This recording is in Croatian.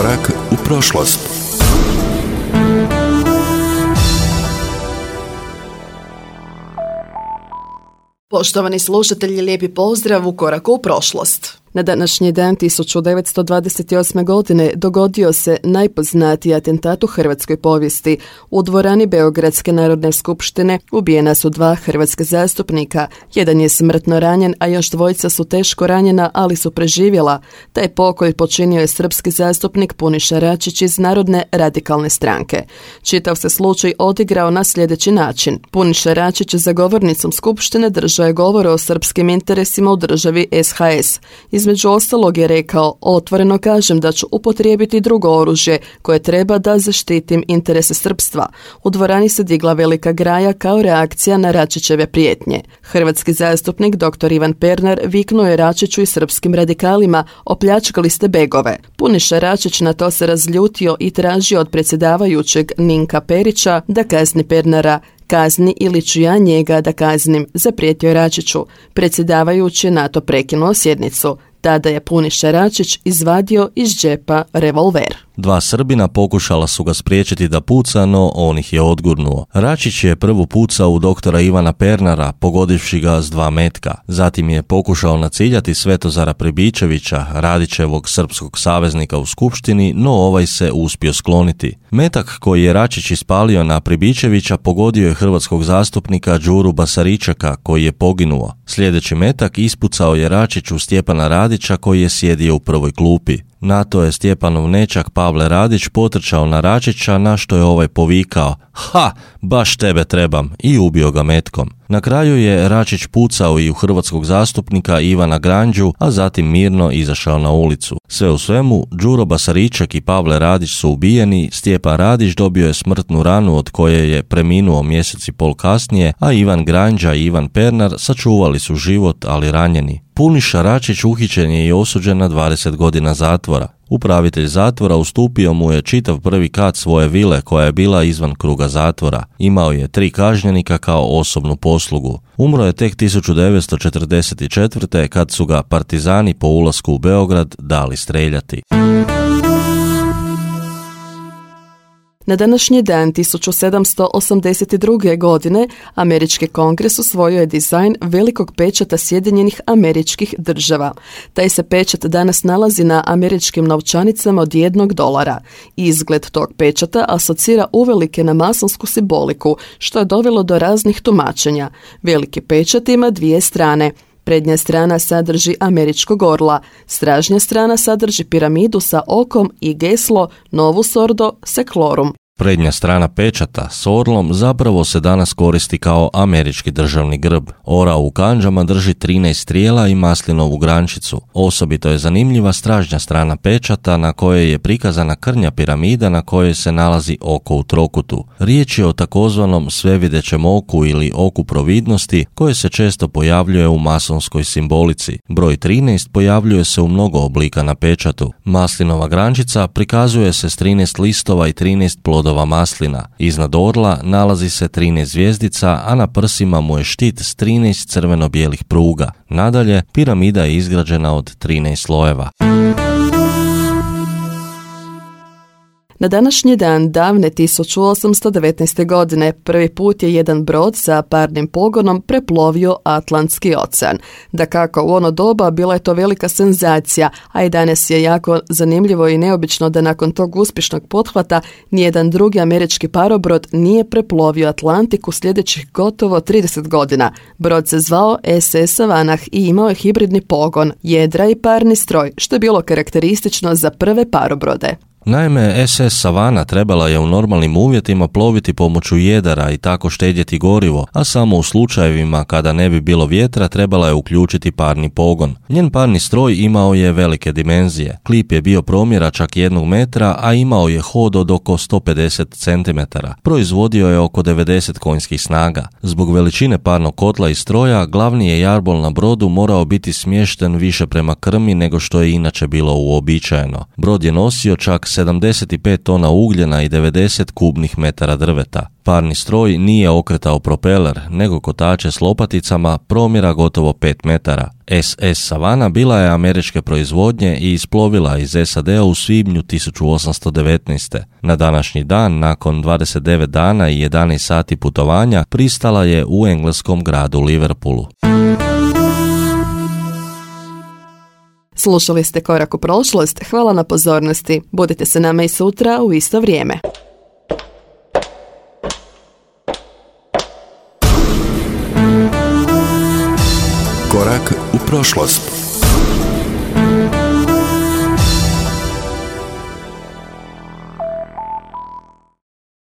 Ukorak u prošlost. Poštovani slušatelji, lijepi pozdrav u koraku u prošlost. Na današnji dan 1928. godine dogodio se najpoznatiji atentat u hrvatskoj povijesti. U dvorani Beogradske narodne skupštine ubijena su 2 hrvatska zastupnika. Jedan je smrtno ranjen, a još 2 su teško ranjena, ali su preživjela. Taj pokolj počinio je srpski zastupnik Puniša Račić iz Narodne radikalne stranke. Čitav se slučaj odigrao na sljedeći način. Puniša Račić za govornicom skupštine držao je govor o srpskim interesima u državi SHS. Između ostalog je rekao: otvoreno kažem da ću upotrijebiti drugo oružje koje treba da zaštitim interese srpstva. U dvorani se digla velika graja kao reakcija na Račićeve prijetnje. Hrvatski zastupnik dr. Ivan Pernar viknuo je Račiću i srpskim radikalima: opljačkali ste begove. Puniša Račić na to se razljutio i tražio od predsjedavajućeg Ninka Perića da kazni Pernara. Kazni ili ću ja njega da kaznim, zaprijetio je Račiću. Predsjedavajući je na to prekinuo sjednicu. Tada je Puniša Račić izvadio iz džepa revolver. 2 Srbina pokušala su ga spriječiti da puca, no on ih je odgurnuo. Račić je prvo pucao u doktora Ivana Pernara, pogodivši ga s 2 metka. Zatim je pokušao naciljati Svetozara Pribičevića, Radićevog srpskog saveznika u skupštini, no ovaj se uspio skloniti. Metak koji je Račić ispalio na Pribičevića pogodio je hrvatskog zastupnika Đuru Basaričeka, koji je poginuo. Sljedeći metak ispucao je Račić u Stjepana Radića, koji je sjedio u prvoj klupi. Na to je Stjepanov nećak Pavle Radić potrčao na Račića, na što je ovaj povikao: ha, baš tebe trebam, i ubio ga metkom. Na kraju je Račić pucao i u hrvatskog zastupnika Ivana Granđu, a zatim mirno izašao na ulicu. Sve u svemu, Đuro Basariček i Pavle Radić su ubijeni, Stjepan Radić dobio je smrtnu ranu od koje je preminuo mjesec i pol kasnije, a Ivan Granđa i Ivan Pernar sačuvali su život, ali ranjeni. Puniša Račić uhićen je i osuđen na 20 godina zatvora. Upravitelj zatvora ustupio mu je čitav prvi kat svoje vile koja je bila izvan kruga zatvora. Imao je 3 kažnjenika kao osobnu poslugu. Umro je tek 1944. kad su ga partizani po ulasku u Beograd dali streljati. Na današnji dan 1782. godine američki kongres usvojio je dizajn velikog pečata Sjedinjenih Američkih Država. Taj se pečat danas nalazi na američkim novčanicama od $1. Izgled tog pečata asocira uvelike na masonsku simboliku, što je dovelo do raznih tumačenja. Veliki pečat ima 2 strane. Prednja strana sadrži američkog orla, stražnja strana sadrži piramidu sa okom i geslo Novus Ordo Seclorum. Prednja strana pečata s orlom zapravo se danas koristi kao američki državni grb. Orao u kandžama drži 13 strijela i maslinovu grančicu. Osobito je zanimljiva stražnja strana pečata na kojoj je prikazana krnja piramida na kojoj se nalazi oko u trokutu. Riječ je o takozvanom svevidećem oku ili oku providnosti koje se često pojavljuje u masonskoj simbolici. Broj 13 pojavljuje se u mnogo oblika na pečatu. Maslinova grančica prikazuje se s 13 listova i 13 plodova maslina. Iznad orla nalazi se 13 zvjezdica, a na prsima mu je štit s 13 crveno-bijelih pruga. Nadalje, piramida je izgrađena od 13 slojeva. Na današnji dan davne 1819. godine prvi put je jedan brod sa parnim pogonom preplovio Atlantski ocean. Dakako, u ono doba bila je to velika senzacija, a i danas je jako zanimljivo i neobično da nakon tog uspješnog pothvata nijedan drugi američki parobrod nije preplovio Atlantik u sljedećih gotovo 30 godina. Brod se zvao SS Savannah i imao je hibridni pogon, jedra i parni stroj, što je bilo karakteristično za prve parobrode. Naime, SS Savannah trebala je u normalnim uvjetima ploviti pomoću jedara i tako štedjeti gorivo, a samo u slučajevima kada ne bi bilo vjetra trebala je uključiti parni pogon. Njen parni stroj imao je velike dimenzije. Klip je bio promjera čak 1 metra, a imao je hod od oko 150 cm. Proizvodio je oko 90 konjskih snaga. Zbog veličine parnog kotla i stroja, glavni je jarbol na brodu morao biti smješten više prema krmi nego što je inače bilo uobičajeno. Brod je nosio čak 75 tona ugljena i 90 kubnih metara drveta. Parni stroj nije okretao propeler, nego kotače s lopaticama promjera gotovo 5 metara. SS Savana bila je američke proizvodnje i isplovila iz SAD-a u svibnju 1819. Na današnji dan, nakon 29 dana i 11 sati putovanja, pristala je u engleskom gradu Liverpoolu. Slušali ste Korak u prošlost, hvala na pozornosti. Budite se nama i sutra u isto vrijeme. Korak u prošlost.